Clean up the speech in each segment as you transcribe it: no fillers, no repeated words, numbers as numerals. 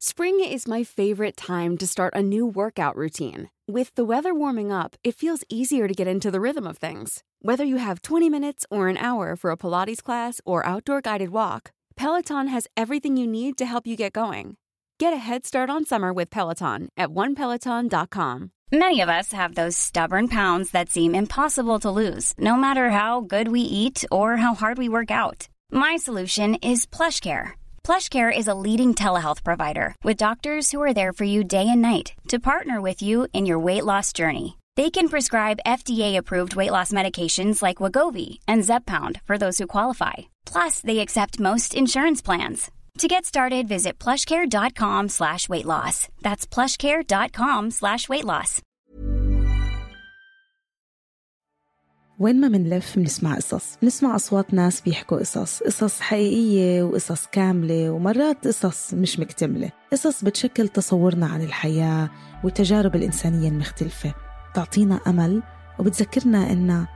Spring is my favorite time to start a new workout routine. With the weather warming up, it feels easier to get into the rhythm of things. Whether you have 20 minutes or an hour for a Pilates class or outdoor guided walk, Peloton has everything you need to help you get going. Get a head start on summer with Peloton at onepeloton.com. Many of us have those stubborn pounds that seem impossible to lose, no matter how good we eat or how hard we work out. My solution is PlushCare. PlushCare is a leading telehealth provider with doctors who are there for you day and night to partner with you in your weight loss journey. They can prescribe FDA-approved weight loss medications like Wegovy and Zepbound for those who qualify. Plus, they accept most insurance plans. To get started, visit plushcare.com/weightloss. That's plushcare.com/weightloss. وين ما منلف منسمع قصص، نسمع أصوات ناس بيحكوا قصص حقيقية وقصص كاملة، ومرات قصص مش مكتملة، قصص بتشكل تصورنا عن الحياة والتجارب الإنسانية المختلفة، تعطينا أمل وبتذكرنا إننا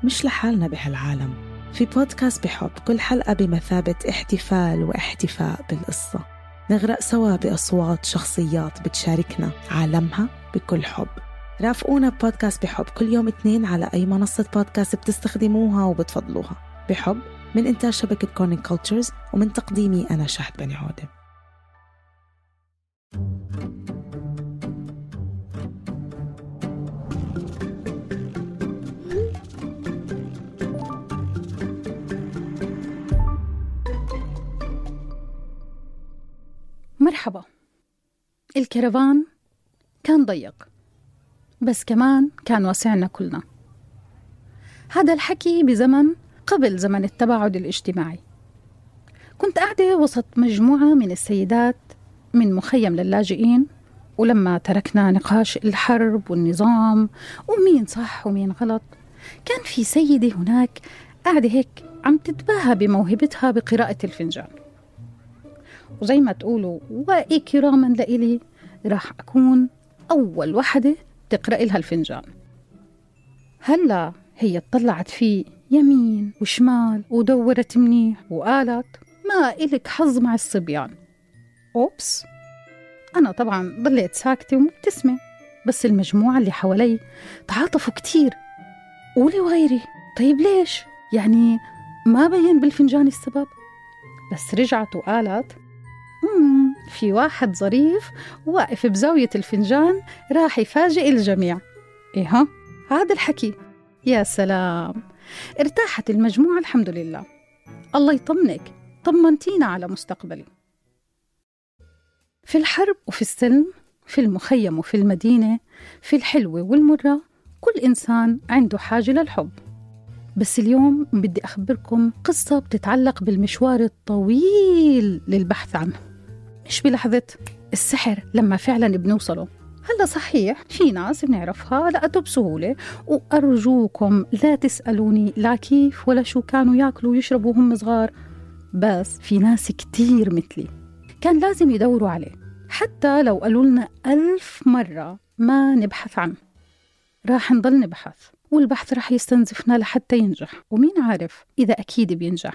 مش لحالنا بهالعالم. في بودكاست بحب، كل حلقة بمثابة احتفال واحتفاء بالقصة، نغرق سوا بأصوات شخصيات بتشاركنا عالمها بكل حب. رافقونا ببودكاست بحب كل يوم اثنين على أي منصة بودكاست بتستخدموها وبتفضلوها. بحب من إنتاج شبكة كورنينج كولتشرز ومن تقديمي أنا شهد بني عودة. مرحبا. الكرفان كان ضيق بس كمان كان واسعنا كلنا. هذا الحكي بزمن قبل زمن التباعد الاجتماعي. كنت قاعدة وسط مجموعة من السيدات من مخيم للاجئين، ولما تركنا نقاش الحرب والنظام ومين صح ومين غلط، كان في سيدة هناك قاعدة هيك عم تتباهى بموهبتها بقراءة الفنجان، وزي ما تقولوا وإكراما لإلي راح أكون أول وحدة تقرأ لها الفنجان. هلا هي اطلعت فيه يمين وشمال ودورت منيح وقالت ما إلك حظ مع الصبيان. أوبس، أنا طبعا ضليت ساكتة ومبتسمة، بس المجموعة اللي حوالي تعاطفوا كتير. قولي وغيري، طيب ليش؟ يعني ما بين بالفنجان السبب؟ بس رجعت وقالت في واحد ظريف واقف بزاوية الفنجان راح يفاجئ الجميع. إيه هذا الحكي. يا سلام، ارتاحت المجموعة الحمد لله. الله يطمنك، طمنتينا على مستقبلي. في الحرب وفي السلم، في المخيم وفي المدينة، في الحلوة والمرة، كل إنسان عنده حاجة للحب. بس اليوم بدي أخبركم قصة بتتعلق بالمشوار الطويل للبحث عنه، مش بلحظة السحر لما فعلا بنوصله. هلا صحيح في ناس بنعرفها لقته بسهولة، وأرجوكم لا تسألوني لا كيف ولا شو كانوا ياكلوا ويشربوا هم صغار، بس في ناس كتير مثلي كان لازم يدوروا عليه، حتى لو قالوا لنا 1000 مرة ما نبحث عنه راح نضل نبحث، والبحث راح يستنزفنا لحتى ينجح، ومين عارف إذا أكيد بينجح.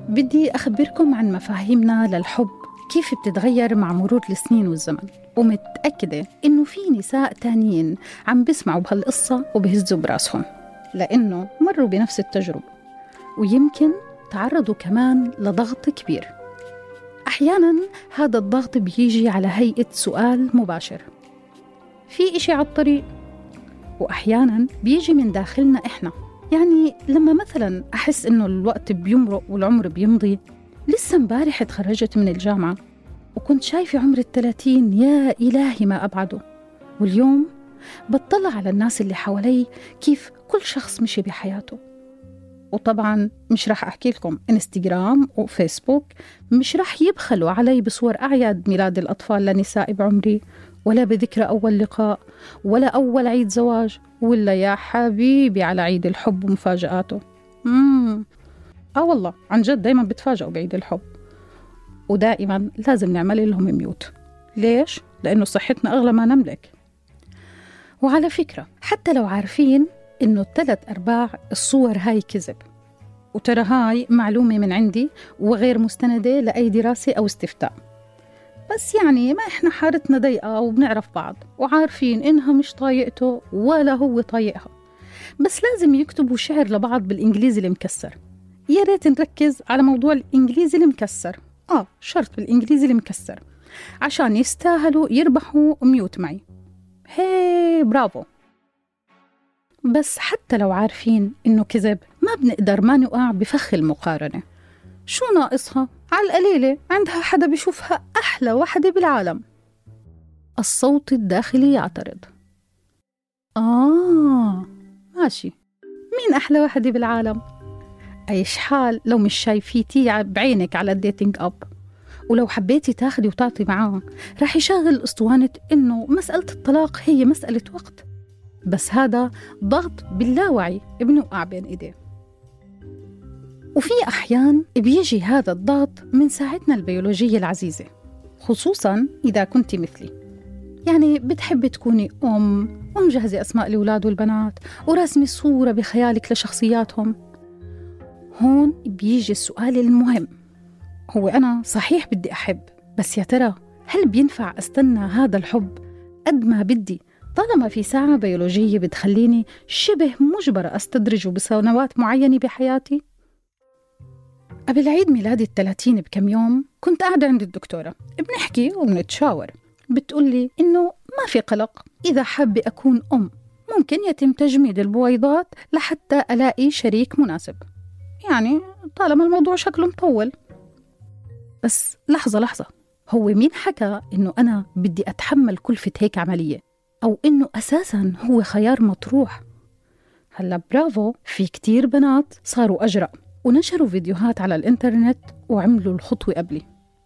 بدي أخبركم عن مفاهيمنا للحب كيف بتتغير مع مرور السنين والزمن، ومتأكدة إنه في نساء تانيين عم بيسمعوا بهالقصة وبهزوا براسهم لأنه مروا بنفس التجربة، ويمكن تعرضوا كمان لضغط كبير. أحيانا هذا الضغط بيجي على هيئة سؤال مباشر، في إشي على الطريق، وأحيانا بيجي من داخلنا إحنا. يعني لما مثلا أحس إنه الوقت بيمرق والعمر بيمضي، لسه مبارح اتخرجت من الجامعة وكنت شايفة عمر 30، يا إلهي ما أبعده. واليوم بتطلع على الناس اللي حوالي كيف كل شخص مشي بحياته. وطبعا مش راح أحكي لكم إنستغرام وفيسبوك مش راح يبخلوا علي بصور أعياد ميلاد الأطفال لنساء بعمري، ولا بذكرى أول لقاء، ولا أول عيد زواج، ولا يا حبيبي على عيد الحب ومفاجآته. والله عن جد دايما بتفاجئوا بعيد الحب، ودائما لازم نعمل لهم ميوت. ليش؟ لأنه صحتنا أغلى ما نملك. وعلى فكرة حتى لو عارفين إنه 3/4 الصور هاي كذب، وترى هاي معلومة من عندي وغير مستندة لأي دراسة أو استفتاء، بس يعني ما إحنا حارتنا ضيقة وبنعرف بعض وعارفين إنها مش طايقته ولا هو طايقها، بس لازم يكتبوا شعر لبعض بالإنجليزي المكسر. يا ريت نركز على موضوع الإنجليزي المكسر، شرط بالإنجليزي المكسر عشان يستاهلوا يربحوا ميوت معي. هي برافو. بس حتى لو عارفين إنه كذب ما بنقدر ما نقع بفخ المقارنة. شو ناقصها؟ على القليلة عندها حدا بيشوفها أحلى وحدة بالعالم. الصوت الداخلي يعترض. ماشي، مين أحلى وحدة بالعالم؟ أيش حال لو مش شايفيتي بعينك على الديتينج أب، ولو حبيتي تاخدي وتعطي معاه راح يشغل أسطوانة إنه مسألة الطلاق هي مسألة وقت، بس هذا ضغط باللاوعي بنوقع بين إيديه. وفي أحيان بيجي هذا الضغط من ساعتنا البيولوجية العزيزة، خصوصاً إذا كنت مثلي، يعني بتحبي تكوني ومجهزة أسماء الأولاد والبنات ورسمي صورة بخيالك لشخصياتهم. هون بيجي السؤال المهم، هو أنا صحيح بدي أحب، بس يا ترى هل بينفع أستنى هذا الحب قد ما بدي طالما في ساعة بيولوجية بتخليني شبه مجبرة أستدرجه بسنوات معينة بحياتي؟ قبل عيد ميلادي 30 بكم يوم كنت قاعدة عند الدكتورة بنحكي وبنتشاور، بتقولي إنه ما في قلق، إذا حابة أكون ممكن يتم تجميد البويضات لحتى ألاقي شريك مناسب، يعني طالما الموضوع شكله مطول. بس لحظة، هو مين حكى إنه أنا بدي أتحمل كلفة هيك عملية، أو إنه أساساً هو خيار مطروح؟ هلا برافو، في كتير بنات صاروا أجرأ ونشروا فيديوهات على الإنترنت وعملوا الخطوة قبلي،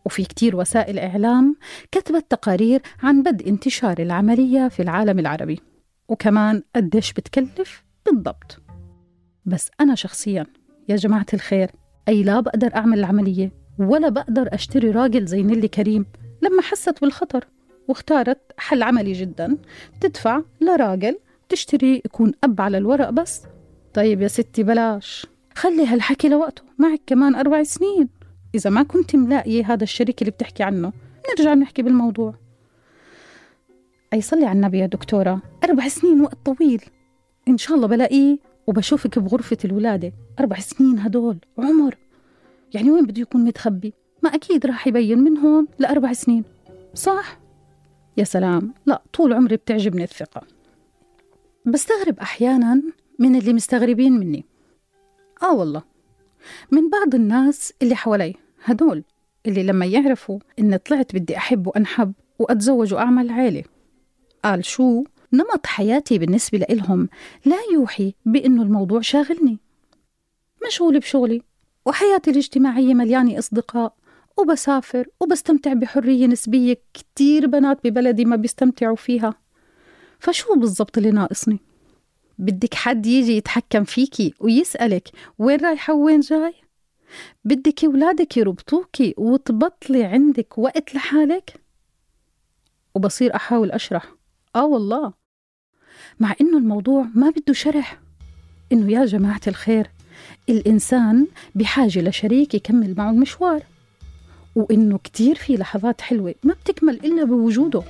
وفي كتير وسائل إعلام كتبت تقارير عن بدء انتشار العملية في العالم العربي، وكمان قديش بتكلف بالضبط. بس أنا شخصياً يا جماعة الخير لا بقدر أعمل العملية ولا بقدر أشتري راجل زي نيلي كريم لما حست بالخطر واختارت حل عملي جداً، تدفع لراجل تشتري يكون أب على الورق بس. طيب يا ستي بلاش، خلي هالحكي لوقته، معك كمان 4 سنين، إذا ما كنت ملاقي هذا الشريك اللي بتحكي عنه نرجع نحكي بالموضوع. صلي على النبي يا دكتورة، 4 سنين وقت طويل، إن شاء الله بلاقيه وبشوفك بغرفة الولادة. 4 سنين هدول عمر، يعني وين بده يكون متخبي؟ ما أكيد راح يبين من هون ل4 سنين، صح؟ يا سلام، لا طول عمري بتعجبني الثقة. بستغرب أحيانا من اللي مستغربين مني، والله من بعض الناس اللي حوالي، هدول اللي لما يعرفوا إن طلعت بدي أحب وأنحب وأتزوج وأعمل عيلة، قال شو نمط حياتي بالنسبة لإلهم لا يوحي بأنه الموضوع شاغلني. مشغولة بشغلي وحياتي الاجتماعية مليانة أصدقاء وبسافر وبستمتع بحرية نسبية كتير بنات ببلدي ما بيستمتعوا فيها. فشو بالضبط اللي ناقصني؟ بدك حد يجي يتحكم فيكي ويسألك وين رايحة وين جاي؟ بدك أولادك يربطوكي وتبطلي عندك وقت لحالك؟ وبصير أحاول أشرح، والله، مع إنه الموضوع ما بده شرح، إنه يا جماعة الخير الإنسان بحاجة لشريك يكمل معه المشوار، وإنه كتير في لحظات حلوة ما بتكمل إلا بوجوده.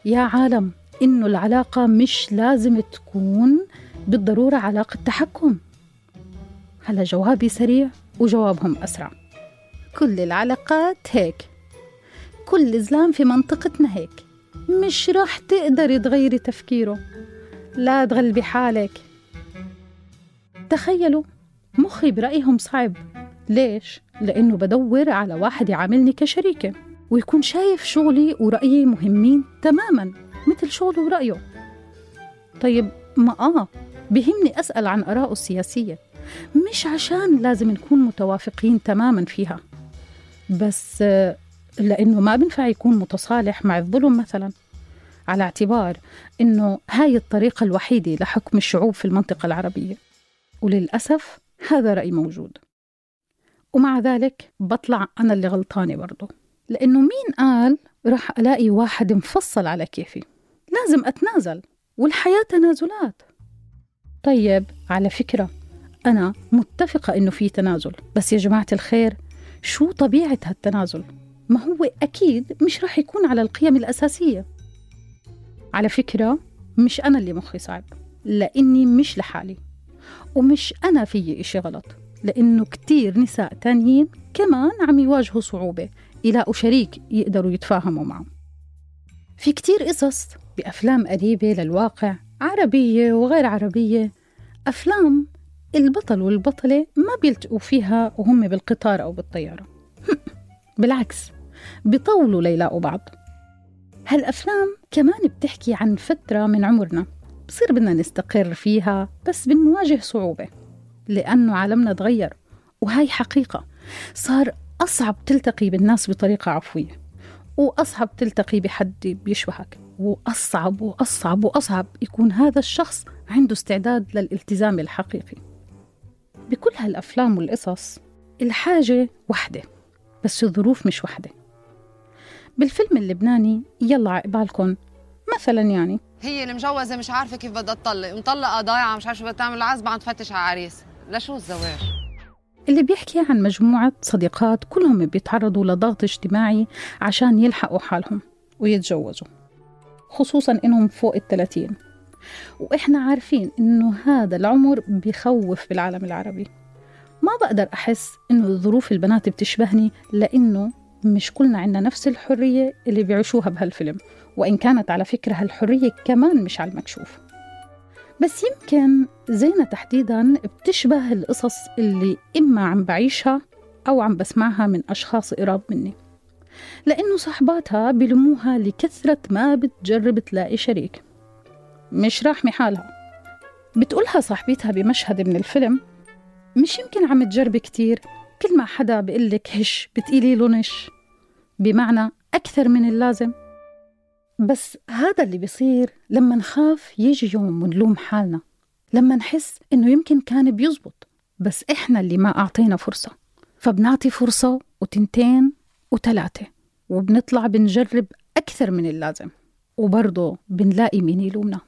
يا عالم، إنه العلاقة مش لازم تكون بالضرورة علاقة تحكم. هلا جوابي سريع وجوابهم أسرع. كل العلاقات هيك، كل زلام في منطقتنا هيك، مش راح تقدري تغيري تفكيره، لا تغلبي حالك. تخيلوا مخي برأيهم صعب. ليش؟ لأنه بدور على واحد يعاملني كشريكة ويكون شايف شغلي ورأيي مهمين تماماً مثل شغله ورأيه. طيب ما بهمني أسأل عن آراءه السياسية، مش عشان لازم نكون متوافقين تماماً فيها، بس لأنه ما بنفع يكون متصالح مع الظلم مثلاً، على اعتبار إنه هاي الطريقة الوحيدة لحكم الشعوب في المنطقة العربية. وللأسف هذا رأي موجود، ومع ذلك بطلع أنا اللي غلطانة برضو، لأنه مين قال راح ألاقي واحد مفصل على كيفي؟ لازم أتنازل، والحياة تنازلات. طيب على فكرة أنا متفقة إنه في تنازل، بس يا جماعة الخير شو طبيعة هالتنازل؟ ما هو أكيد مش راح يكون على القيم الأساسية. على فكرة مش أنا اللي مخي صعب، لأني مش لحالي، ومش أنا في إشي غلط، لأنه كتير نساء تانيين كمان عم يواجهوا صعوبة يلاقوا شريك يقدروا يتفاهموا معه. في كتير قصص بأفلام قريبة للواقع، عربية وغير عربية، أفلام البطل والبطلة ما بيلتقوا فيها وهم بالقطار أو بالطيارة بالعكس بيطولوا ليلاقوا بعض. هالأفلام كمان بتحكي عن فترة من عمرنا بصير بدنا نستقر فيها، بس بنواجه صعوبة لأنه عالمنا تغير، وهاي حقيقة. صار أصعب تلتقي بالناس بطريقة عفوية، وأصعب تلتقي بحد بيشبهك، وأصعب وأصعب وأصعب يكون هذا الشخص عنده استعداد للالتزام الحقيقي. بكل هالأفلام والقصص الحاجة وحدة، بس الظروف مش وحدة. بالفيلم اللبناني يلا عقبالكن مثلا، يعني هي المجوزة مش عارفة كيف بدها تطلق، مطلقة ضايعة مش عارفة بدها تعمل عزبة عم تفتش على عريس، لشو الزواج؟ اللي بيحكي عن مجموعة صديقات كلهم بيتعرضوا لضغط اجتماعي عشان يلحقوا حالهم ويتجوزوا، خصوصا إنهم فوق 30، وإحنا عارفين إنه هذا العمر بيخوف بالعالم العربي. ما بقدر أحس إنه ظروف البنات بتشبهني، لأنه مش كلنا عنا نفس الحرية اللي بيعيشوها بهالفيلم، وإن كانت على فكرة هالحرية كمان مش على المكشوف. بس يمكن زينة تحديداً بتشبه القصص اللي إما عم بعيشها أو عم بسمعها من أشخاص قراب مني، لأنه صحباتها بلموها لكثرة ما بتجرب تلاقي شريك. مش راحمة حالها، بتقولها صاحبتها بمشهد من الفيلم: مش يمكن عم تجرب كتير، كل ما حدا بقلك هش بتقيلي له نش، بمعنى أكثر من اللازم. بس هذا اللي بيصير لما نخاف يجي يوم ونلوم حالنا، لما نحس إنه يمكن كان بيزبط بس إحنا اللي ما أعطينا فرصة، فبنعطي فرصة وتنتين وثلاثة، وبنطلع بنجرب أكثر من اللازم، وبرضه بنلاقي مين يلومنا.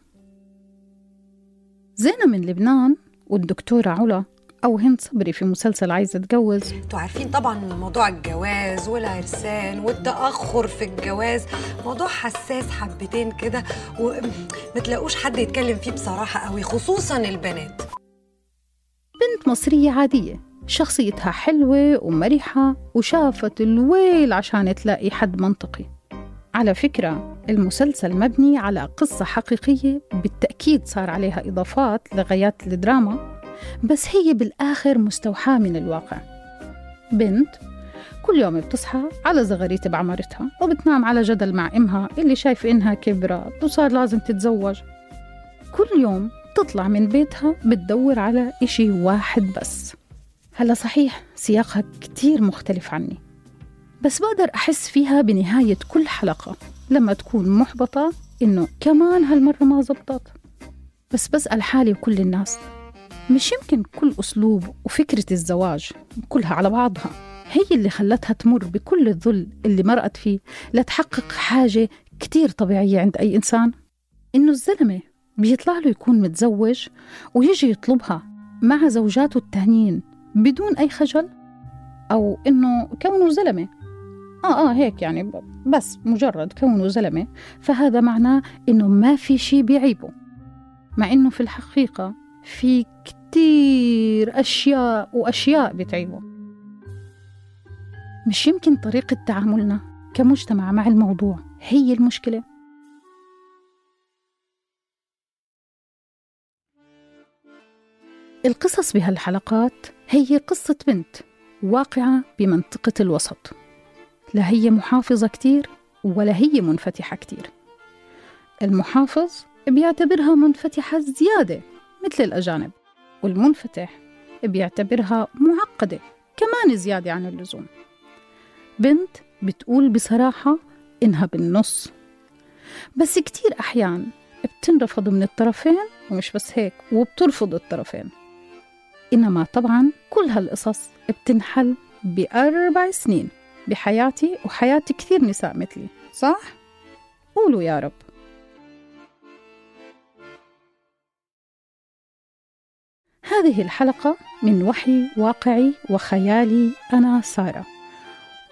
زينة من لبنان والدكتورة علا أو هند صبري في مسلسل عايزة أتجوز. انتوا عارفين طبعا موضوع الجواز والعرسان والتأخر في الجواز موضوع حساس حبتين كده، ومتلاقوش حد يتكلم فيه بصراحة قوي، خصوصا البنات. بنت مصرية عادية، شخصيتها حلوة ومرحة، وشافت الويل عشان تلاقي حد منطقي. على فكرة المسلسل مبني على قصة حقيقية، بالتأكيد صار عليها إضافات لغايات الدراما، بس هي بالآخر مستوحاة من الواقع. بنت كل يوم بتصحى على زغاريت بعمرتها، وبتنام على جدل مع إمها اللي شايف إنها كبرت وصار لازم تتزوج. كل يوم تطلع من بيتها بتدور على إشي واحد بس. هلا صحيح سياقها كتير مختلف عني، بس بقدر أحس فيها بنهاية كل حلقة لما تكون محبطة إنه كمان هالمرة ما زبطت. بس بسأل حالي وكل الناس، مش يمكن كل أسلوب وفكرة الزواج كلها على بعضها هي اللي خلتها تمر بكل الذل اللي مرقت فيه لتحقق حاجة كتير طبيعية عند أي إنسان؟ إنه الزلمة بيطلع له يكون متزوج ويجي يطلبها مع زوجاته التانيين بدون أي خجل، أو إنه كونه زلمة هيك يعني بس مجرد كونه زلمة فهذا معناه إنه ما في شي بيعيبه، مع إنه في الحقيقة في كتير أشياء بتعيبه. مش يمكن طريقة تعاملنا كمجتمع مع الموضوع هي المشكلة؟ القصص بهالحلقات هي قصة بنت واقعة بمنطقة الوسط، لا هي محافظة كتير ولا هي منفتحة كتير. المحافظ بيعتبرها منفتحة زيادة مثل الأجانب، والمنفتح بيعتبرها معقدة كمان زيادة عن اللزوم. بنت بتقول بصراحة إنها بالنص، بس كتير أحيان بتنرفض من الطرفين، ومش بس هيك وبترفض الطرفين. إنما طبعا كل هالقصص بتنحل ب4 سنين بحياتي وحياة كثير نساء مثلي، صح؟ قولوا يا رب. هذه الحلقة من وحي واقعي وخيالي أنا سارة،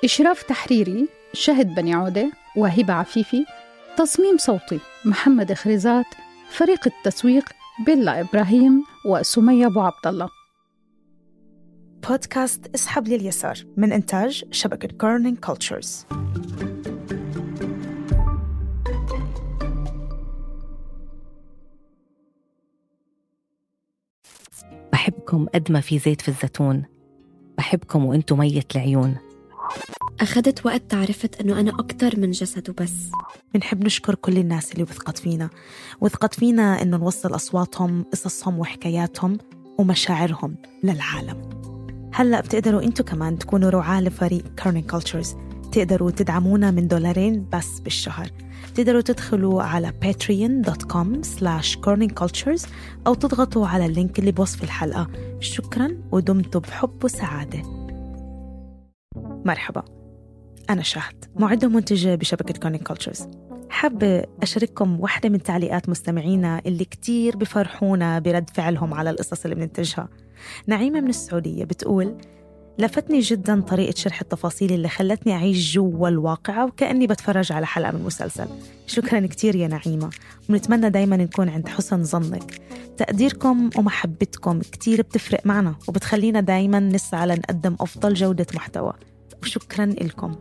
إشراف تحريري شهد بني عودة وهبة عفيفي، تصميم صوتي محمد خريزات، فريق التسويق بيلا إبراهيم وسمية أبو عبد الله. بودكاست اسحب لي اليسار من إنتاج شبكة كورنينج كولتشرز. بحبكم قد ما في زيت في الزيتون، بحبكم وانتو مية العيون. أخذت وقت تعرفت أنه أنا أكتر من جسد وبس. بنحب نشكر كل الناس اللي وثقت فينا إنه نوصل أصواتهم، قصصهم وحكاياتهم ومشاعرهم للعالم. هلأ بتقدروا انتو كمان تكونوا رعاة لفريق كورنينج كولتشرز. تقدروا تدعمونا من $2 بس بالشهر. تقدروا تدخلوا على patreon.com/corningcultures أو تضغطوا على اللينك اللي بوصف الحلقة. شكراً ودمتوا بحب وسعادة. مرحبا، أنا شهد، معدة ومنتجة بشبكة كورنينج كولتشرز. حابة أشارككم واحدة من تعليقات مستمعينا اللي كتير بفرحونا برد فعلهم على القصص اللي بننتجها. نعيمة من السعودية بتقول: لفتني جداً طريقة شرح التفاصيل اللي خلتني أعيش جوا الواقعة وكأني بتفرج على حلقة من مسلسل. شكراً كتير يا نعيمة، ونتمنى دايماً نكون عند حسن ظنك. تقديركم ومحبتكم كتير بتفرق معنا وبتخلينا دايماً نسعى لنقدم أفضل جودة محتوى، وشكراً لكم.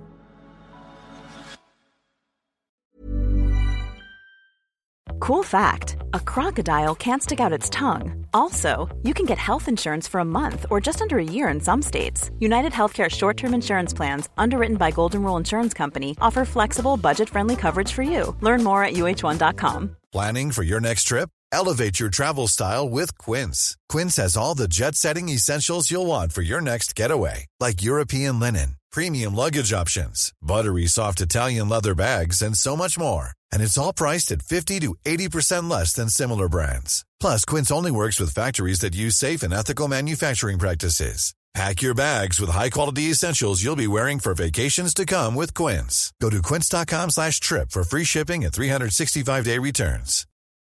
Cool fact, a crocodile can't stick out its tongue. Also, you can get health insurance for a month or just under a year in some states. United Healthcare short-term insurance plans, underwritten by Golden Rule Insurance Company, offer flexible, budget-friendly coverage for you. Learn more at uh1.com. Planning for your next trip? Elevate your travel style with Quince. Quince has all the jet-setting essentials you'll want for your next getaway, like European linen, premium luggage options, buttery soft Italian leather bags, and so much more. And it's all priced at 50 to 80% less than similar brands. Plus, Quince only works with factories that use safe and ethical manufacturing practices. Pack your bags with high-quality essentials you'll be wearing for vacations to come with Quince. Go to quince.com/trip for free shipping and 365-day returns.